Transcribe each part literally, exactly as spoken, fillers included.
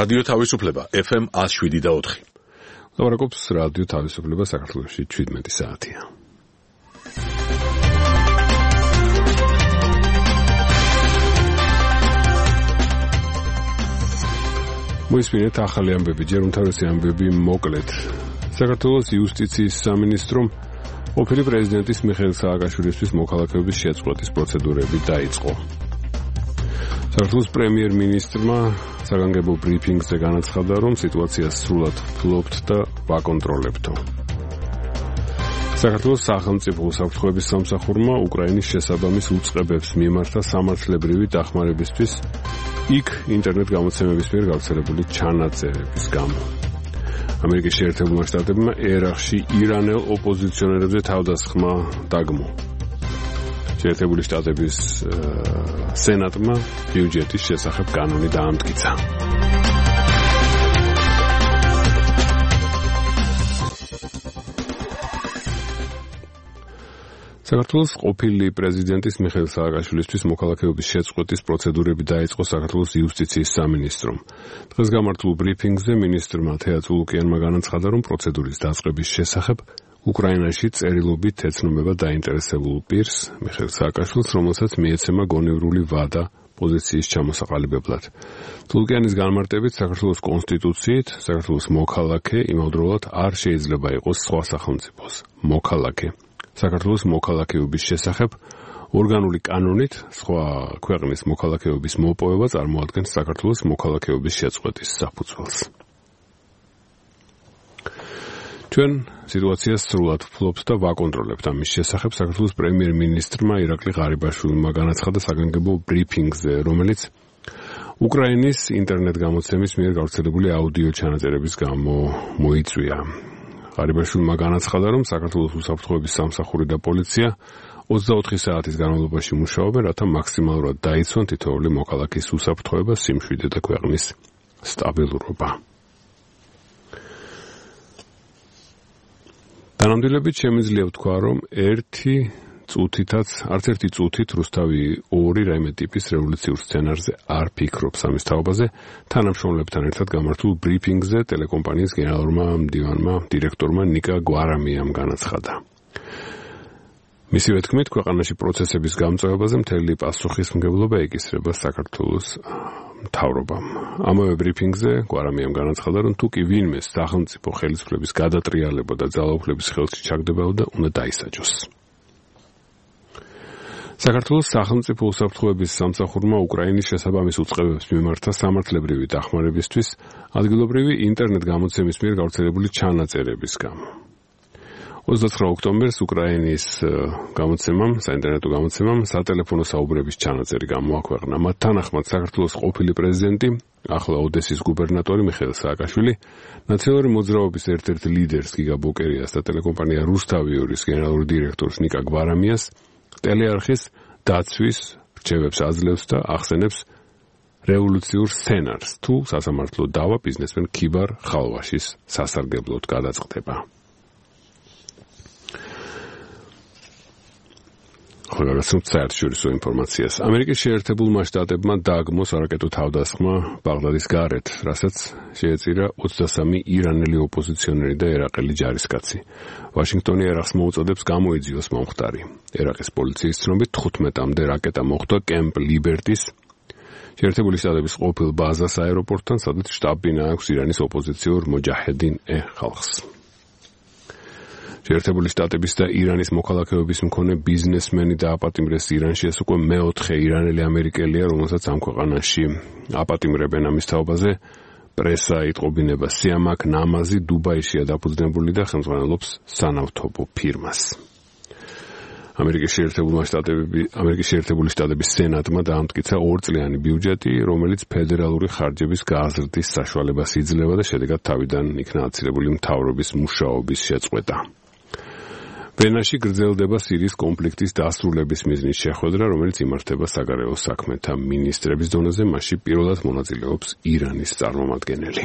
რადიო თავისუფლება ეფ ემ one oh seven და four. ლაპარაკობს რადიო თავისუფლება საქართველოში seventeen საათია. მოისმინეთ ახალი ამბები, ჯერ უმთავრესი ამბები მოკლედ. საქართველოს იუსტიციის სამინისტრომ ყოფილი პრეზიდენტის მიხეილ სააკაშვილისთვის მოქალაქეობის შეწყვეტის პროცედურები დაიწყო. საქართველოს პრემიერ-მინისტრმა საგანგებო ბრიფინგზე განაცხადა, რომ სიტუაცია სრულად ფლობთ და ვაკონტროლებთო. საქართველოს სახელმწიფო უსაფრთხოების სამსახურმა უკრაინის შესაბამის უწყებებს მიმართა სამართლებრივი დახმარებისთვის იქ ინტერნეტ გამოცემების მიერ გავრცელებული ჩანაწერების გამო. ამერიკის შეერთებულმა შტატებმა ერაყში ირანელ ოპოზიციონერებზე თავდასხმა დაგმო. შეერთებული შტატების სენატმა ბიუჯეტის შესახებ კანონი დაამტკიცა. საქართველოს ყოფილი პრეზიდენტის მიხეილ სააკაშვილისთვის მოქალაქეობის შეწყვეტის პროცედურები დაიწყო საქართველოს იუსტიციის სამინისტრომ. დღეს გამართულ ბრიფინგზე მინისტრმა თეა წულუკიანმა განაცხადა, რომ პროცედურის დაწყების შესახებ უკრაინაში წერილობით ეცნობა დაინტერესებულ პირს მიხეილ სააკაშვილს, რომელსაც მიეცემა გონივრული ვადა პოზიციის ჩამოსაყალიბებლად. წულუკიანის განმარტებით საქართველოს კონსტიტუციით საქართველოს მოქალაქე იმავდროულად არ შეიძლება იყოს სხვა სახელმწიფოს მოქალაქე. საქართველოს მოქალაქეობის შესახებ ორგანული კანონით სხვა ქვეყნის მოქალაქეობის მოპოვება წარმოადგენს საქართველოს მოქალაქეობის შეწყვეტის საფუძველს. ჩვენ სიტუაციას სრულად ვფლობთ და ვაკონტროლებთ. ამის შესახებ საქართველოს პრემიერ-მინისტრმა ირაკლი ღარიბაშვილმა განაცხადა საგანგებო ბრიფინგზე, რომელიც უკრაინის ინტერნეტ გამოცემის მიერ გავრცელებული აუდიო ჩანაწერების გამო მოიწვია. ღარიბაშვილმა განაცხადა, რომ საქართველოს უსაფრთხოების სამსახური და პოლიცია ოცდაოთხი საათის განმავლობაში მუშაობენ, რათა მაქსიმალურად დაიცვან თითოეული მოქალაქის უსაფრთხოება, სიმშვიდე და ქვეყნის სტაბილურობა. დანამდვილებით შემიძლია ვთქვა, რომ ერთი წუთითაც, არც ერთი წუთით რუსთავი ორი რაიმე ტიპის რევოლუციურ სცენარზე არ ფიქრობს. ამის თაობაზე თანამშრომლებთან ერთად გამართულ ბრიფინგზე ტელეკომპანიის გენერალურმა მდივანმა დირექტორმა ნიკა გვარამიამ განაცხადა. მისივე თქმით, ქვეყანაში პროცესების გამწვევებაზე მთელი პასუხისმგებლობა ეკისრება საქართველოს მთავრობამ. ამავე ბრიფინგზე გვარამიამ განაცხადა, რომ თუ კი ვინმე სახელმწიფო ხელისუფლების გადატრიალება და ძალაუფლების ხელში ჩაგდებოდა, უნდა დაისაჯოს. საქართველოს სახელმწიფო უსაფრთხოების სამსახურმა უკრაინის შესაბამის უწყებებს მიმართა სამართლებრივი დახმარებისთვის ადგილობრივი ინტერნეტ გამოცემის მიერ გავრცელებული ჩანაწერების გამო. ოცდაცხრა ოქტომბერს უკრაინის გამოცემამ, საინტერნეტო გამოცემამ სატელეფონო საუბრების ჩანაწერი გამოაქვეყნა. მათ თანახმად საქართველოს ყოფილი პრეზიდენტი, ახლა ოდესის გუბერნატორი მიხეილ სააკაშვილი, ნაციონალური მოძრაობის ერთ-ერთ ლიდერს გიგა ბოკერიას და ტელეკომპანია რუსთავი ორის გენერალური დირექტორს ნიკა გვარამიას ტელეარხის დაცვის რჩევებს აძლევს და ახსენებს რევოლუციურ სცენარს, თუ სასამართლო დავა ბიზნესმენ ქიბარ ხალვაშის სასარგებლოდ გადაწყდება. ხოლმე საერთაშორისო ინფორმაციას. ამერიკის შეერთებულმა შტატებმა დააგმო სარაკეტო თავდასხმა ბაღდადის გარეთ, რასაც შეეწირა ოცდასამი ირანელი ოპოზიციონერი და ერაყელი ჯარისკაცი. ვაშინგტონი ერაყს მოუწოდებს გამოიძიოს მომხდარი. ერაყის პოლიციის ცნობით თხუთმეტამდე რაკეტა მოხვდა კემპ ლიბერტის შეერთებული შტატების ყოფილ ბაზას აეროპორტთან, სადაც შტაბ-ბინა აქვს ირანის ოპოზიციურ მოჯაჰედინ ე ხალხს. შეერთებული შტატების და ირანის მოქალაქეობის მქონე ბიზნესმენი დააპატიმრეს ირანში. ეს უკვე მეოთხე ირანელი ამერიკელია, რომელსაც ამ ქვეყანაში აპატიმრებენ. ამის თაობაზე პრესა იტყობინება სიამაკ ნამაზი დუბაიშია დაფუძნებული და ხელმძღვანელობს სანავთობო ფირმას. ამერიკის შეერთებული შტატები, ამერიკის შეერთებული შტატების სენატმა დაამტკიცა ორწლიანი ბიუჯეტი, რომელიც ფედერალური ხარჯების გააზრდის საშუალებას იძლევა და შედეგად თავიდან იქნა აცილებული მთავრობის მუშაობის შეწყვეტა. ვენაში გრძელდება სირიის კონფლიქტის დასრულების მიზნის შეხვედრა, რომელიც იმართება საგარეო საქმეთა მინისტრების დონეზე, მასში პირველად მონაწილეობს ირანის წარმომადგენელი.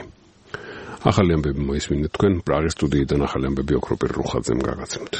ახალი ამბები მოისმინეთ თქვენ პრაღის სტუდიიდან ახალი ამბები ოქროპირ რუხაძემ გაგაცემთ.